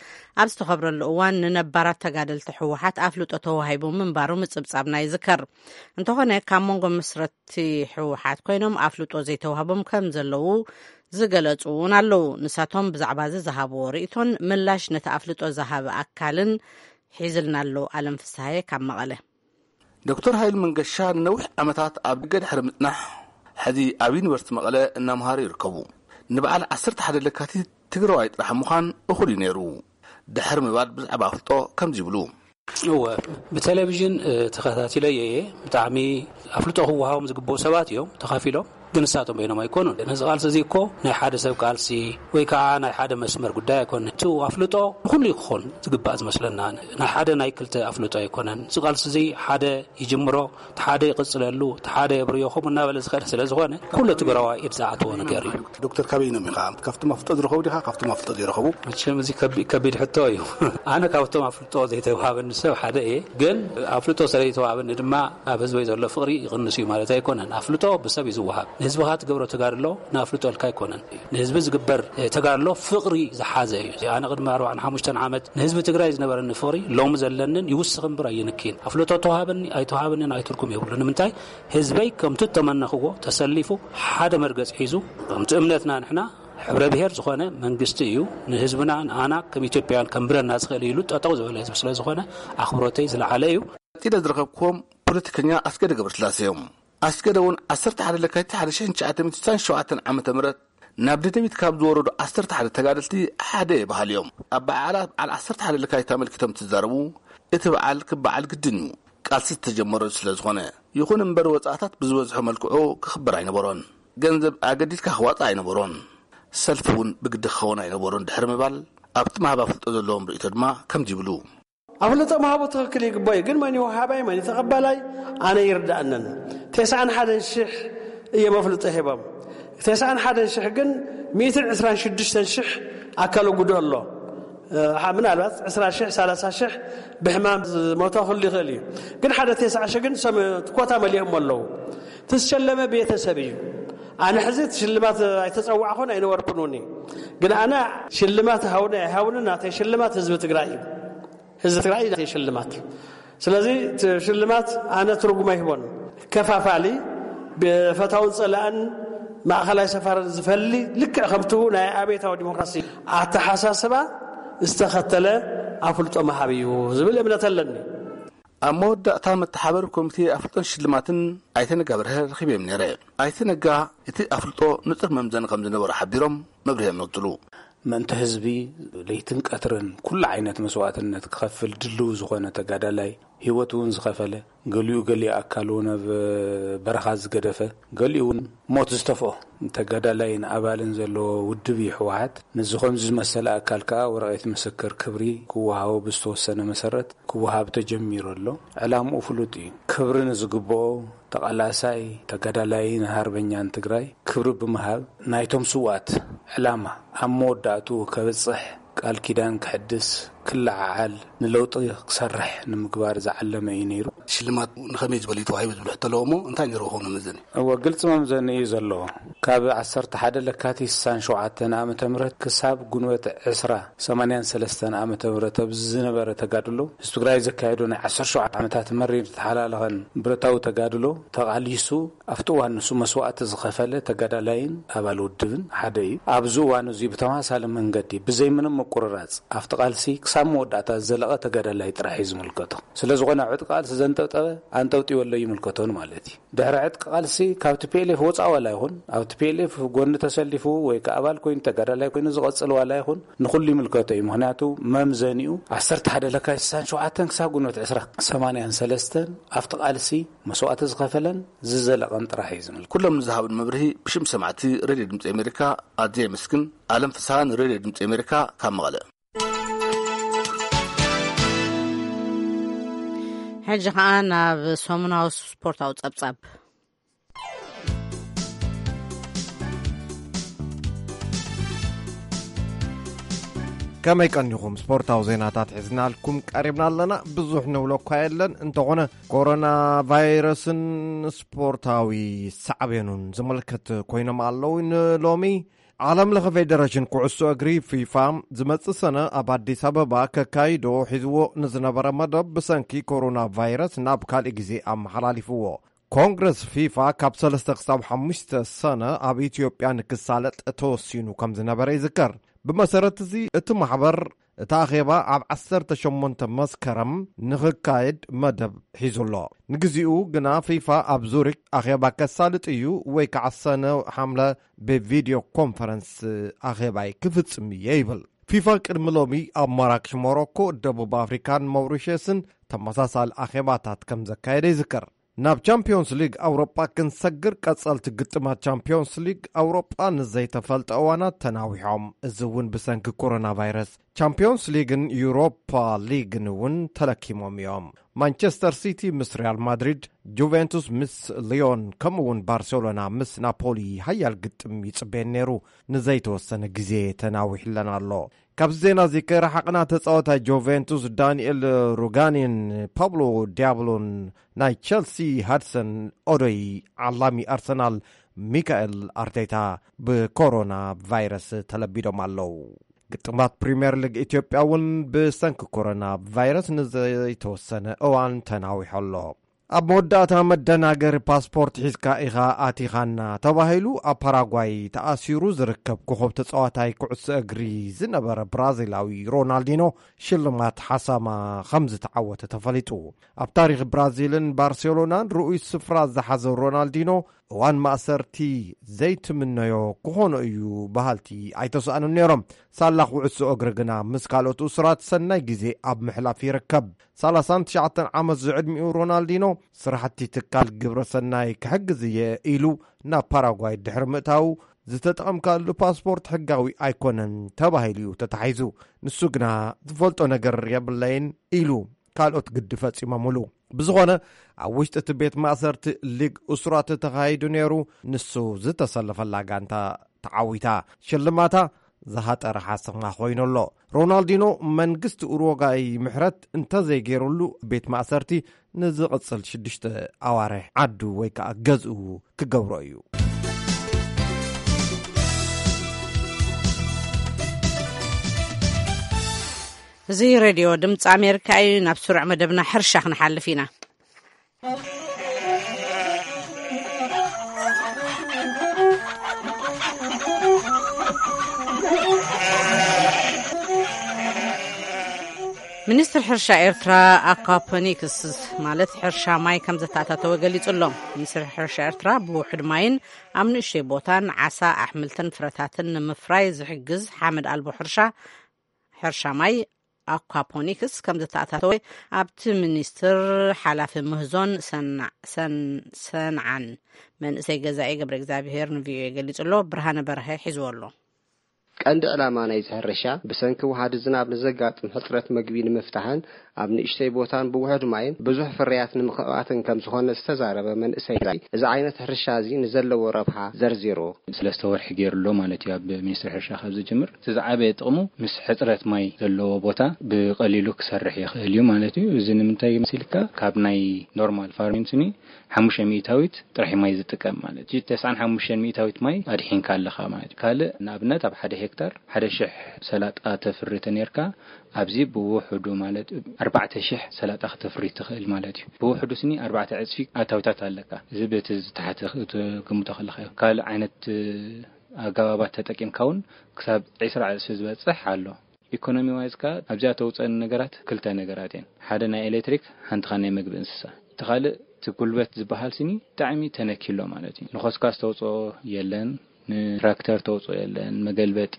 ኣብ ዝተኸብረሉ እዋን ንነባራት ተጋደልቲ ህወሓት ኣፍልጦ ተዋሂቡ ምንባሩ ምፅብፃብና ይዝከር። እንተኾነ ካብ መንጎ መስረቲ ህወሓት ኮይኖም ኣፍልጦ ዘይተዋህቦም ከም ዘለዉ ዝገለፁ እውን ኣለዉ። ንሳቶም ብዛዕባ እዚ ዝሃብዎ ርእይቶን ምላሽ ነቲ ኣፍልጦ ዝሃበ ኣካልን ሒዝልና ኣሎ። ኣለም ፍስሃየ ካብ መቐለ። ዶክተር ሃይሉ መንገሻ ንነዊሕ ዓመታት ኣብ ደገ ድሕሪ ምጽናሕ፣ ሕዚ ኣብ ዩኒቨርሲቲ መቐለ እናምሃሩ ይርከቡ። ንበዓል ዓሰርተ ሓደ ለካቲት ትግራዋይ ጥራሕ ምዃን እኹል እዩ ነይሩ። ድሕሪ ምባል ብዛዕባ ኣፍልጦ ከምዚ ይብሉ። እወ፣ ብቴሌቪዥን ተኸታቲለዮ እየ። ብጣዕሚ ኣፍልጦ ክወሃቦም ዝግብኡ ሰባት እዮም ተኻፊሎም። ግን ንሳቶም በይኖም ኣይኮኑን። ነዚ ቃልሲ እዚ እኮ ናይ ሓደ ሰብ ቃልሲ ወይ ከዓ ናይ ሓደ መስመር ጉዳይ ኣይኮነን። እቲ ኣፍልጦ ንኹሉ ክኾን ዝግባእ ዝመስለና፣ ናይ ሓደ ናይ ክልተ ኣፍልጦ ኣይኮነን። እዚ ቃልሲ እዚ ሓደ ይጅምሮ፣ እቲ ሓደ ይቕፅለሉ፣ እቲ ሓደ የብርዮ፣ ከምኡ እናበለ ዝኸደ ስለ ዝኾነ ኩሉ ትግራዋይ ኢድ ዝኣተዎ ነገር እዩ። ዶክተር፣ ካበይኖም ኢኻ? ካብቶም ኣፍልጦ ዝረኸቡ ዲኻ ካብቶም ኣፍልጦ ዘይረኸቡ? መቸም እዚ ከቢድ ሕቶ እዩ። ኣነ ካብቶም ኣፍልጦ ዘይተዋሃበኒ ሰብ ሓደ እየ። ግን ኣፍልጦ ስለይተዋሃበኒ ድማ ኣብ ህዝበይ ዘሎ ፍቕሪ ይቕንስ እዩ ማለት ኣይኮነን። ኣፍልጦ ብሰብ እዩ ዝወሃብ። ንህዝብኻ ትገብሮ ተጋድሎ ንኣፍልጦ ኢልካ ኣይኮነን። ንህዝቢ ዝግበር ተጋድሎ ፍቕሪ ዝሓዘ እዩ። ኣነ ቅድሚ ኣርባዓን ሓሙሽተን ዓመት ንህዝቢ ትግራይ ዝነበረኒ ፍቕሪ ሎሚ ዘለንን ይውስኽ እምበር ኣይንክን። ኣፍልጦ ተዋሃበኒ ኣይተዋሃበኒ ንኣይ ትርጉም የብሉ። ንምንታይ? ህዝበይ ከምቲ እተመነኽዎ ተሰሊፉ ሓደ መርገፂ ሒዙ፣ ከምቲ እምነትና ንሕና ሕብረ ብሔር ዝኾነ መንግስቲ እዩ። ንህዝብና ንኣና ከም ኢትዮጵያውያን ከንብረና ዝኽእል ኢሉ ጠጠው ዝበለ ህዝቢ ስለ ዝኾነ ኣኽብሮተይ ዝለዓለ እዩ። ቀጺለ ዝረኸብክዎም ፖለቲከኛ ኣስገደ ገብረስላሴ እዮም። ኣስገደ እውን ዓሰርተ ሓደ ለካቲት ሓደ ሺሕ ትሽዓተ ሚእቲ ስሳን ሸውዓተን ዓመተ ምህረት ናብ ደደቢት ካብ ዝወረዱ ዓሰርተ ሓደ ተጋደልቲ ሓደ እየ በሃሊ እዮም። ኣብ በዓላት በዓል ዓሰርተ ሓደ ለካቲት ኣመልኪቶም እንትዛረቡ፣ እቲ በዓል ክበዓል ግድን እዩ፣ ቃልሲ ዝተጀመረሉ ስለ ዝኾነ። ይኹን እምበር ወጻእታት ብዝበዝሖ መልክዑ ክኽበር ኣይነበሮን። ገንዘብ ኣገዲድካ ክዋጻእ ኣይነበሮን። ሰልፊ እውን ብግዲ ክኸውን ኣይነበሮን ድሕሪ ምባል፣ ኣብቲ ምሃብ ኣፍልጦ ዘለዎም ርእይቶ ድማ ከምዚ ይብሉ። ኣፍልጦ ምሃቡ ትኽክል ይግባእ እዩ፣ ግን መን እዩ ወሃባይ፣ መን እዩ ተቐባላይ ኣነ ይርዳእንን። ተስዓን ሓደን ሽሕ እዮም ኣፍልጦ ሂቦም። ተስዓን ሓደን ሽሕ ግን ሚእትን ዕስራን ሽዱሽተን ሽሕ ኣካሉ ጉድእ ኣሎ። እ፣ ሓ-፣ ምናልባት ዕስራ ሽሕ፣ ሰላሳ ሽሕ ብሕማም ዝሞተ ክህሉ ይኽእል እዩ። ግን ሓደ ተስዓ ሽሕ ግን ሰም-፣ ኮታ መሊኦም ኣለዉ። ትዝሸለመ ቤተሰብ እዩ። ኣነ ሕዚ እቲ ሽልማት ኣይተጸዋዕኹን ኣይነበርኩን እውን እዩ። ግን ኣነ ሽልማት ሃውነ ኣይሃውንን ናተይ ሽልማት ህዝቢ ትግራይ እዩ። ህዝቢ ትግራይ ናተይ ሽልማት። ስለዚ እቲ ሽልማት ኣነ ትርጉም ኣይህቦን። ከፋፋሊ፣ ብፈታውን ጸላእን ማእኸላይ ሰፋርን ዝፈሊ፣ ልክዕ ከምቱ ናይ ኣቤታዊ ዲሞክራሲ ኣተሓሳስባ ዝተኸተለ ኣፍልጦ መሃብ እዩ ዝብል እምነት ኣለኒ። ኣብ መወዳእታ መተሓበሪ ኮሚቴ ኣፍልጦን ሽልማትን ኣይተ ነጋ በርሀ ረኺበዮም ነይረ። ኣይተ ነጋ እቲ ኣፍልጦ ንጹር መምዘኒ ከም ዝነበሮ ሓቢሮም መብርሂ የመግጽሉ። ምእንቲ ህዝቢ ለይትን ቀትርን ኩሉ ዓይነት መስዋእትነት ክኸፍል ድልው ዝኾነ ተጋዳላይ፣ ህይወት እውን ዝኸፈለ፣ ገሊኡ ገሊኡ ኣካሉ ናብ በረኻ ዝገደፈ፣ ገሊኡ እውን ሞት ዝተፍኦ ተጋዳላይን ኣባልን ዘለዎ ውድብ እዩ ህወሓት። ነዚ ከምዚ ዝመሰለ ኣካል ከኣ ወረቐት ምስክር ክብሪ ክወሃቦ ብዝተወሰነ መሰረት ክወሃብ ተጀሚሩ ኣሎ። ዕላምኡ ፍሉጥ እዩ። ክብሪ ንዝግብኦ ተቓላሳይ ተጋዳላይን ሃርበኛን ትግራይ ክብሪ ብምሃብ ናይቶም ስውኣት ዕላማ ኣብ መወዳእትኡ ከብጽሕ ቃል ኪዳን ክሕድስ ክለዓዓል ንለውጢ ክሰርሕ ንምግባር ዝዓለመ እዩ ነይሩ። ሽልማት ንኸመይ ዝበለ እዩ ተዋሂቡ ዝብል ሕቶ ኣለዎ እሞ እንታይ ነይሩ ክኸውን መመዘኒ? እወ፣ ግልፂ መምዘኒ እዩ ዘለዎ። ካብ ዓሰርተ ሓደ ለካቲት ስሳን ሸውዓተን ዓመተ ምህረት ክሳብ ጉንበት ዕስራ ሰማንያን ሰለስተን ዓመተ ምህረት ኣብዚ ዝነበረ ተጋድሎ ህዝቢ ትግራይ ዘካየዶ ናይ ዓሰርተ ሸውዓተ ዓመታት መሪር ተሓላለኸን ብረታዊ ተጋድሎ ተቓሊሱ ኣብቲ እዋን ንሱ መስዋእቲ ዝኸፈለ ተጋዳላይን ኣባል ውድብን ሓደ እዩ። ኣብዚ እዋን እዚ ብተመሳሳሊ መንገዲ ብዘይ ምንም ምቁርራፅ ኣብቲ ቃልሲ ኣብ መወዳእታ ዝዘለቐ ተጋዳላይ ጥራሕ እዩ ዝምልከቶ። ስለ ዝኾነ ዕጥቂ ቃልሲ ዘንጠብጠበ ኣንጠብጢበሎ ይምልከቶን ማለት እዩ። ድሕሪ ዕጥቂ ቃልሲ ካብ ቲ ፒ ኤል ኤፍ ወፃእ ዋላ ይኹን፣ ኣብ ቲ ፒ ኤል ኤፍ ጎኒ ተሰሊፉ ወይ ከዓ ኣባል ኮይኑ ተጋዳላይ ኮይኑ ዝቐፅል ዋላ ይኹን፣ ንኹሉ ይምልከቶ እዩ። ምኽንያቱ መምዘኒኡ ዓሰርተ ሓደ ለካቲት ስሳን ሸውዓተን ክሳብ ግንቦት ዕስራ ሰማንያን ሰለስተን ኣብቲ ቃልሲ መስዋእቲ ዝኸፈለን ዝዘለቐን ጥራሕ እዩ ዝምልከት። ኩሎም ንዝሃብን መብርሂ ብሽም ሰማዕቲ ሬድዮ ድምፂ ኣሜሪካ ኣዝየ የመስግን። ኣለም ፍስሃ ንሬድዮ ድምፂ ኣሜሪካ ካብ መቐለ። ሕጂ ኸኣ ናብ ሰሙናዊ ስፖርታዊ ጸብጻብ። ከመይ ቀኒኹም? ስፖርታዊ ዜናታት ሒዝናልኩም ቀሪብና ኣለና። ብዙሕ ንብሎ እኳ የለን፣ እንተኾነ ኮሮና ቫይረስን ስፖርታዊ ሳዕቤኑን ዝምልከት ኮይኖም ኣለዉ። ንሎሚ ዓለም ለኸ ፌደሬሽን ኩዕሶ እግሪ ፊፋ ዝመጽእ ሰነ ኣብ ኣዲስ ኣበባ ከካይዶ ሒዝዎ ንዝነበረ መደብ ብሰንኪ ኮሮና ቫይረስ ናብ ካልእ ግዜ ኣመሓላሊፍዎ። ኮንግረስ ፊፋ ካብ ሰለስተ ክሳብ ሓሙሽተ ሰነ ኣብ ኢትዮጵያ ንክሳለጥ ተወሲኑ ከም ዝነበረ ይዝከር። ብመሰረት እዚ እቲ ማሕበር እቲ ኣኼባ ኣብ ዓሰርተ ሸሞንተ መስከረም ንኽካየድ መደብ ሒዙ ኣሎ። ንግዚኡ ግና ፊፋ ኣብ ዙሪክ ኣኼባ ከሳልጥ እዩ ወይ ከዓ ሰነ ሓምለ ብቪድዮ ኮንፈረንስ ኣኼባይ ክፍጽም እየ ይብል። ፊፋ ቅድሚ ሎሚ ኣብ ማራክሽ ሞሮኮ፣ ደቡብ ኣፍሪካን መውሪሸስን ተመሳሳሊ ኣኼባታት ከም ዘካየደ ይዝከር። ናብ ቻምፒዮንስ ሊግ ኣውሮጳ ክንሰግር ቀጸልቲ ግጥማት ቻምፒዮንስ ሊግ ኣውሮጳ ንዘይተፈልጠ እዋናት ተናዊሖም። እዚ እውን ብሰንኪ ኮሮና ቫይረስ። ቻምፒዮንስ ሊግን ዩሮፓ ሊግን እውን ተለኪሞም እዮም። ማንቸስተር ሲቲ ምስ ሪያል ማድሪድ፣ ጁቬንቱስ ምስ ሊዮን ከምኡ እውን ባርሴሎና ምስ ናፖሊ ሓያል ግጥም ይጽበየን ነይሩ። ንዘይተወሰነ ግዜ ተናዊሕለን ኣሎ። ካብዚ ዜና እዚ ከይረሓቕና ተጻዋታይ ጆቬንቱስ ዳንኤል ሩጋኒን ፓብሎ ዲያብሎን ናይ ቸልሲ ሃድሰን ኦዶይ ዓላሚ ኣርሰናል ሚካኤል ኣርቴታ ብኮሮና ቫይረስ ተለቢዶም ኣለዉ። ግጥማት ፕሪምየር ሊግ ኢትዮጵያ እውን ብሰንኪ ኮሮና ቫይረስ ንዘይተወሰነ እዋን ተናዊሑ ኣሎ። ኣብ መወዳእታ መደናገሪ ፓስፖርት ሒዝካ ኢኻ ኣቲኻና ተባሂሉ ኣብ ፓራጓይ ተኣሲሩ ዝርከብ ኮኸብ ተጻዋታይ ኩዕሶ እግሪ ዝነበረ ብራዚላዊ ሮናልዲኖ ሽልማት ሓሳማ ከም ዝተዓወተ ተፈሊጡ። ኣብ ታሪኽ ብራዚልን ባርሴሎናን ርኡይ ስፍራ ዝሓዘ ሮናልዲኖ እዋን ማእሰርቲ ዘይትምነዮ ክኾኖ እዩ በሃልቲ ኣይተሰኣኑን ነይሮም። ሳላ ኩዕሶ እግሪ ግና ምስ ካልኦት እሱራት ሰናይ ግዜ ኣብ ምሕላፍ ይርከብ። ሰላሳን ትሽዓተን ዓመት ዝዕድሚኡ ሮናልዲኖ ስራሕቲ ትካል ግብረ ሰናይ ክሕግዝ እየ ኢሉ ናብ ፓራጓይ ድሕሪ ምእታዉ ዝተጠቐምካሉ ፓስፖርት ሕጋዊ ኣይኮነን ተባሂሉ እዩ ተታሒዙ። ንሱ ግና ዝፈልጦ ነገር የብለይን ኢሉ ካልኦት ግዲ ፈጺሞምሉ። ብዝኾነ ኣብ ውሽጢ እቲ ቤት ማእሰርቲ ሊግ እሱራት ተኻይዱ ነይሩ። ንሱ ዝተሰለፈላ ጋንታ ተዓዊታ። ሽልማታ ዝሃጠረ ሓሰማ ኮይኑ ኣሎ። ሮናልዲኖ መንግስቲ ኡሩጓይ ምሕረት እንተዘይገይሩሉ ቤት ማእሰርቲ ንዝቕጽል ሽዱሽተ ኣዋርሕ ዓዱ ወይ ከዓ ገዝኡ ክገብሮ እዩ። እዚ ሬድዮ ድምፂ ኣሜሪካ እዩ። ናብ ስሩዕ መደብና ሕርሻ ክንሓልፍ ኢና። ሚኒስትር ሕርሻ ኤርትራ ኣኳፖኒክስ ማለት ሕርሻ ማይ ከም ዘተኣታተወ ገሊጹ ኣሎ። ሚኒስትር ሕርሻ ኤርትራ ብውሑድ ማይን ኣብ ንእሽተይ ቦታን ዓሳ፣ ኣሕምልትን ፍረታትን ንምፍራይ ዝሕግዝ ሓመድ ኣልቦ ሕርሻ ሕርሻ ማይ ኣኳፖኒክስ ከም ዝተኣታተወ ኣብቲ ሚኒስትር ሓላፊ ምህዞን ሰንዓን መንእሰይ ገዛኢ ገብረ እግዚኣብሄር ንቪኦኤ ገሊጹ ኣሎ። ብርሃነ በርሀ ሒዝዎ ኣሎ። ቀንዲ ዕላማ ናይዚ ሕርሻ ብሰንኪ ውሃዲ ዝናብ ንዘጋጥም ሕፅረት መግቢ ንምፍታሕን ኣብ ንእሽተይ ቦታን ብውሑድ ማይን ብዙሕ ፍርያት ንምኽባትን ከም ዝኾነ ዝተዛረበ መንእሰይ ገዛኢ፣ እዚ ዓይነት ሕርሻ እዚ ንዘለዎ ረብሓ ዘርዚሩ። ሰለስተ ወርሒ ገይሩ ኣሎ ማለት እዩ ኣብ ሚኒስትሪ ሕርሻ ካብ ዝጅምር። እቲ ዝዓበየ ጥቕሙ ምስ ሕፅረት ማይ ዘለዎ ቦታ ብቐሊሉ ክሰርሕ ይኽእል እዩ ማለት እዩ። እዚ ንምንታይ መሲልካ ካብ ናይ ኖርማል ፋርሚንግ ስኒ ሓሙሽተ ሚእታዊት ጥራሕ ማይ ዝጥቀም ማለት እዩ። ተስዓን ሓሙሽተን ሚእታዊት ማይ ኣድሒንካ ኣለኻ ማለት እዩ። ካልእ ንኣብነት ኣብ ሓደ ሄክታር ሓደ ሽሕ ሰላጣ ተፍሪ ተነይርካ ኣብዚ ብውሕዱ ማለት ኣርባዕተ ሽሕ ሰላጣ ክተፍሪ ትኽእል ማለት እዩ። ብውሕዱ ስኒ ኣርባዕተ ዕፅፊ ኣታዊታት ኣለካ። እዚ በቲ ዝተሓተ ክትግምቶ ከለካ እዩ። ካልእ ዓይነት ኣገባባት ተጠቂምካ እውን ክሳብ ዒስራ ዕፅፊ ዝበፅሕ ኣሎ። ኢኮኖሚ ዋይዝ ከኣ ኣብዚኣ ተውፀን ነገራት ክልተ ነገራት እየን። ሓደ ናይ ኤሌክትሪክ፣ ሓንቲ ከኣ ናይ ምግቢ እንስሳ። እቲ ካልእ እቲ ጉልበት ዝበሃል ስኒ ብጣዕሚ ተነኪሎ ማለት እዩ። ንኸስኳስ ተውፅኦ የለን፣ ንትራክተር ተውፅኦ የለን፣ መገልበጢ፣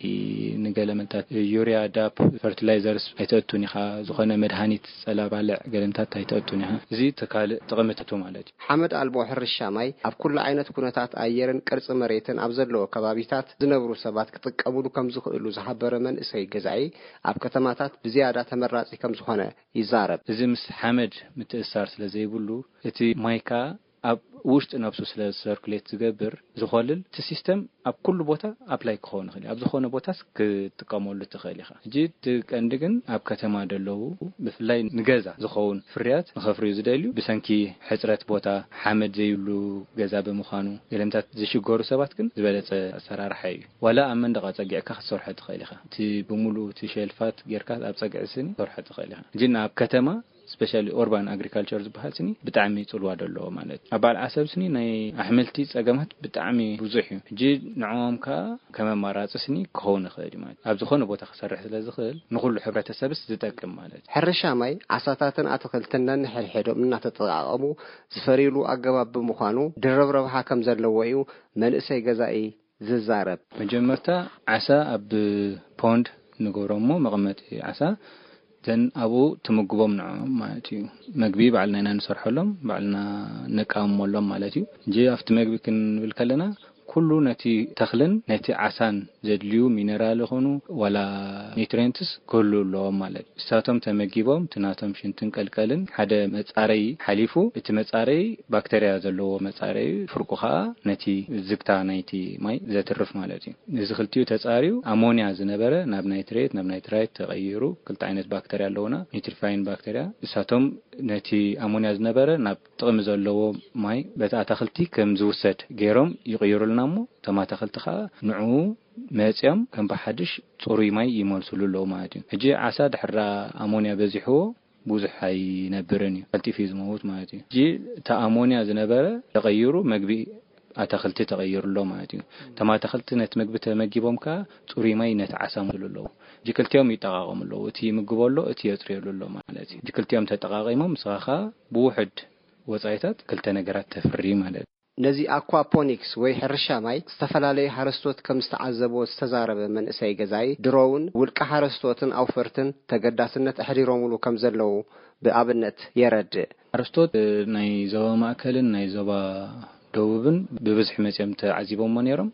ንገለመታት ዩሪያ፣ ዳፕ፣ ፈርቲላይዘርስ ኣይተእቱን ኢኻ፣ ዝኾነ መድሃኒት ጸላ ባልዕ ገለምታት ኣይተእቱን ኢኻ። እዚ እቲ ካልእ ጥቕምታቱ ማለት እዩ። ሓመድ ኣልቦ ሕርሻ ማይ ኣብ ኩሉ ዓይነት ኩነታት ኣየርን ቅርጺ መሬትን ኣብ ዘለዎ ከባቢታት ዝነብሩ ሰባት ክጥቀምሉ ከም ዝኽእሉ ዝሓበረ መንእሰይ ገዛኢ፣ ኣብ ከተማታት ብዝያዳ ተመራጺ ከም ዝኾነ ይዛረብ። እዚ ምስ ሓመድ ምትእሳር ስለ ዘይብሉ፣ እቲ ማይ ከኣ ኣብ ውሽጢ ነብሱ ስለ ሰርኩሌት ዝገብር፣ ዝኾልል፣ እቲ ሲስተም ኣብ ኩሉ ቦታ ኣፕላይ ክኸውን ይኽእል እዩ። ኣብ ዝኾነ ቦታስ ክትጥቀመሉ ትኽእል ኢኻ። ሕጂ እቲ ቀንዲ ግን ኣብ ከተማ ደለዉ፣ ብፍላይ ንገዛ ዝኸውን ፍርያት ንኸፍርዩ ዝደልዩ፣ ብሰንኪ ሕጽረት ቦታ፣ ሓመድ ዘይብሉ ገዛ ብምዃኑ፣ ገለምታት ዝሽገሩ ሰባት ግን ዝበለጸ ኣሰራርሓ እዩ። ዋላ ኣብ መንደቕ ኣጸጊዕካ ክትሰርሖ ትኽእል ኢኻ። እቲ ብምሉኡ እቲ ሸልፋት ጌርካ ኣብ ጸግዒ ስኒ ክትሰርሖ ትኽእል ኢኻ። ግን ኣብ ከተማ፣ ስፔሻሊ ኦርባን ኣግሪካልቸር ዝበሃል ስኒ ብጣዕሚ ጽልዋ ደለዎ ማለት እዩ። ኣብ በዓል ዓሰብ ስኒ ናይ ኣሕምልቲ ጸገማት ብጣዕሚ ብዙሕ እዩ። ሕጂ ንዕኦም ከኣ ከም ኣማራጺ ስኒ ክኸውን ይኽእል እዩ ማለት እዩ። ኣብ ዝኾነ ቦታ ክሰርሕ ስለ ዝኽእል ንኹሉ ሕብረተሰብስ ዝጠቅም ማለት እዩ። ሕርሻ ማይ፣ ዓሳታትን ኣትኽልትን ነንሕድሕዶም እናተጠቓቐሙ ዝፈርዩሉ ኣገባብ ብምዃኑ ድርብ ረብሓ ከም ዘለዎ እዩ መንእሰይ ገዛኢ ዝዛረብ። መጀመርታ ዓሳ ኣብ ፖንድ ንገብሮ እሞ መቐመጢ ዓሳ ዘን ኣብኡ ትምግቦም ንዕኦም ማለት እዩ። መግቢ ባዕልና ኢና ንሰርሐሎም፣ ባዕልና ነቃምመሎም ማለት እዩ። እንጂ ኣብቲ መግቢ ክንብል ከለና ኩሉ ነቲ ተኽልን ነቲ ዓሳን ዘድልዩ ሚነራል ይኹኑ ዋላ ኒውትሪየንትስ ክህሉ ኣለዎም ማለት እዩ። እሳቶም ተመጊቦም እቲ ናቶም ሽንትን ቀልቀልን ሓደ መጻረዪ ሓሊፉ፣ እቲ መጻረዪ ባክተርያ ዘለዎ መጻረዪ፣ ፍርቁ ኸኣ ነቲ ዝግታ ናይቲ ማይ ዘትርፍ ማለት እዩ። እዚ ክልቲኡ ተጻርዩ ኣሞንያ ዝነበረ ናብ ናይትሬት፣ ናብ ናይትራይት ተቐይሩ፣ ክልተ ዓይነት ባክተርያ ኣለውና፣ ኒትሪፋይን ባክተርያ። እሳቶም ነቲ ኣሞንያ ዝነበረ ናብ ጥቕሚ ዘለዎ ማይ በቲ ኣታኽልቲ ከም ዝውሰድ ገይሮም ይቕይሩልና እሞ፣ እቶም ኣታኽልቲ ኸኣ ንዕኡ መጽዮም ከም ብሓድሽ ጽሩይ ማይ ይመልሱሉ ኣለዉ ማለት እዩ። ሕጂ ዓሳ ድሕራ ኣሞንያ በዚሕዎ ብዙሕ ኣይነብርን እዩ፣ ቀልጢፉ እዩ ዝመውት ማለት እዩ። ሕጂ እቲ ኣሞንያ ዝነበረ ተቐይሩ መግቢ ኣታኽልቲ ተቐይሩ ኣሎ ማለት እዩ። እቶም ኣታኽልቲ ነቲ መግቢ ተመጊቦም ከኣ ጽሩይ ማይ ነቲ ዓሳ ይመልሱሉ ኣለዉ። ሕጂ ክልቲኦም ይጠቓቐሙ ኣለዉ። እቲ ይምግቦ ኣሎ፣ እቲ የጽርየሉ ኣሎ ማለት እዩ። ሕጂ ክልቲኦም ተጠቓቒሞም ንስኻ ከኣ ብውሑድ ወጻኢታት ክልተ ነገራት ተፍሪ ማለት እዩ። ነዚ ኣኳፖኒክስ ወይ ሕርሻ ማይ ዝተፈላለዩ ሓረስቶት ከም ዝተዓዘብዎ ዝተዛረበ መንእሰይ ገዛኢ፣ ድሮ እውን ውልቀ ሓረስቶትን ኣውፈርትን ተገዳስነት ኣሕዲሮምሉ ከም ዘለዉ ብኣብነት የረድእ። ሓረስቶት ናይ ዞባ ማእከልን ናይ ዞባ ደቡብን ብብዝሒ መጺኦም ተዓዚቦምዎ ነይሮም።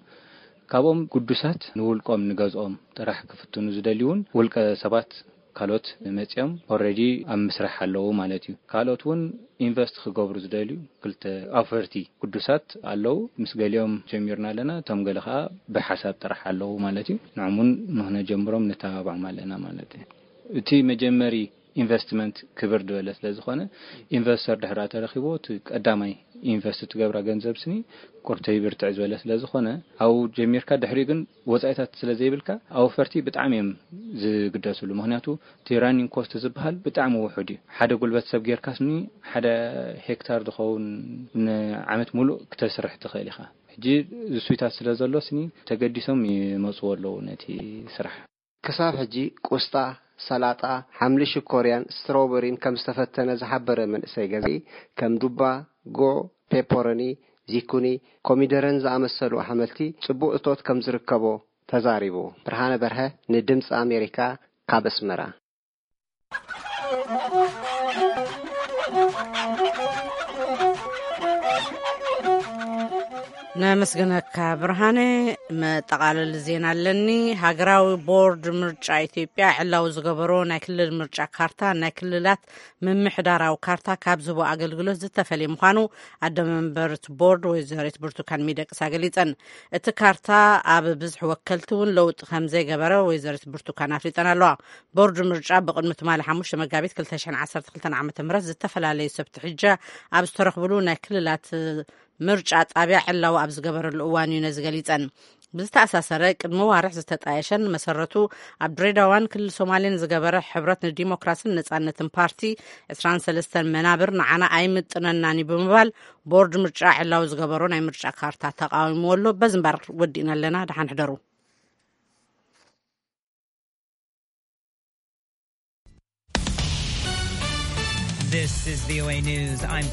ካብኦም ግዱሳት ንውልቆም ንገዝኦም ጥራሕ ክፍትኑ ዝደልዩ እውን ውልቀ ሰባት ካልኦት መጺኦም ኦልሬዲ ኣብ ምስራሕ ኣለዉ ማለት እዩ። ካልኦት እውን ኢንቨስት ክገብሩ ዝደልዩ ክልተ ኣውፈርቲ ግዱሳት ኣለዉ። ምስ ገሊኦም ጀሚርና ኣለና፣ እቶም ገለ ኸኣ ብሓሳብ ጥራሕ ኣለዉ ማለት እዩ። ንዕም እውን ንኽነጀምሮም ነተባብዖም ኣለና ማለት እዩ። እቲ መጀመሪ ኢንቨስትመንት ክብር ዝበለ ስለ ዝኾነ፣ ኢንቨስተር ድሕር ተረኺብዎ፣ እቲ ቀዳማይ ኢንቨስት ትገብራ ገንዘብ ስኒ ቁርተይ ብርትዕ ዝበለ ስለ ዝኾነ፣ ኣብኡ ጀሚርካ፣ ድሕሪኡ ግን ወጻኢታት ስለ ዘይብልካ፣ ኣውፈርቲ ብጣዕሚ እዮም ዝግደስሉ። ምኽንያቱ እቲ ራኒንግ ኮስት ዝበሃል ብጣዕሚ ውሑድ እዩ። ሓደ ጉልበት ሰብ ጌርካ ስኒ ሓደ ሄክታር ዝኸውን ንዓመት ሙሉእ ክተስርሕ ትኽእል ኢኻ። ሕጂ ዝሱይታት ስለ ዘሎ ስኒ ተገዲሶም ይመጽዎ ኣለዉ ነቲ ስራሕ። ክሳብ ሕጂ ቁስጣ፣ ሰላጣ፣ ሓምሊ ሽኮርያን ስትሮበሪን ከም ዝተፈተነ ዝሓበረ መንእሰይ ገዛኢ፣ ከም ዱባ፣ ጉዕ፣ ፔፐሮኒ፣ ዚኩኒ፣ ኮሚደረን ዝኣመሰሉ ኣሕምልቲ ጽቡቕ እቶት ከም ዝርከቦ ተዛሪቡ። ብርሃነ በርሀ ንድምጺ ኣሜሪካ ካብ ኣስመራ። ነመስግነካ ብርሃነ። መጠቓለሊ ዜና ኣለኒ። ሃገራዊ ቦርድ ምርጫ ኢትዮጵያ ዕላዊ ዝገበሮ ናይ ክልል ምርጫ ካርታ፣ ናይ ክልላት ምምሕዳራዊ ካርታ ካብ ዝህቦ ኣገልግሎት ዝተፈልየ ምዃኑ ኣደ መንበር እቲ ቦርድ ወይዘሪት ብርቱካን ሚደቅሳ ገሊጸን። እቲ ካርታ ኣብ ብዝሒ ወከልቲ እውን ለውጢ ከም ዘይገበረ ወይዘሪት ብርቱካን ኣፍሊጠን ኣለዋ። ቦርድ ምርጫ ብቕድሚ ትማሊ ሓሙሽተ መጋቢት ክልተ ሽሕን ዓሰርተ ክልተን ዓመተ ምህረት ዝተፈላለዩ ሰብ ትሕጃ ኣብ ዝተረኽብሉ ናይ ክልላት ምርጫ ጣብያ ዕላዊ ኣብ ዝገበረሉ እዋን እዩ ነዚ ገሊጸን። ብዝተኣሳሰረ፣ ቅድሚ ዋርሕ ዝተጣየሸን መሰረቱ ኣብ ድሬዳዋን ክልል ሶማሌን ዝገበረ ሕብረት ንዲሞክራስን ነጻነትን ፓርቲ ዕስራን ሰለስተን መናብር ንዓና ኣይምጥነናን እዩ ብምባል ቦርድ ምርጫ ዕላዊ ዝገበሮ ናይ ምርጫ ካርታ ተቃዊምዎ ኣሎ። በዚ እምበር ወዲእና ኣለና። ደሓን ሕደሩ። This is V O A News. I'm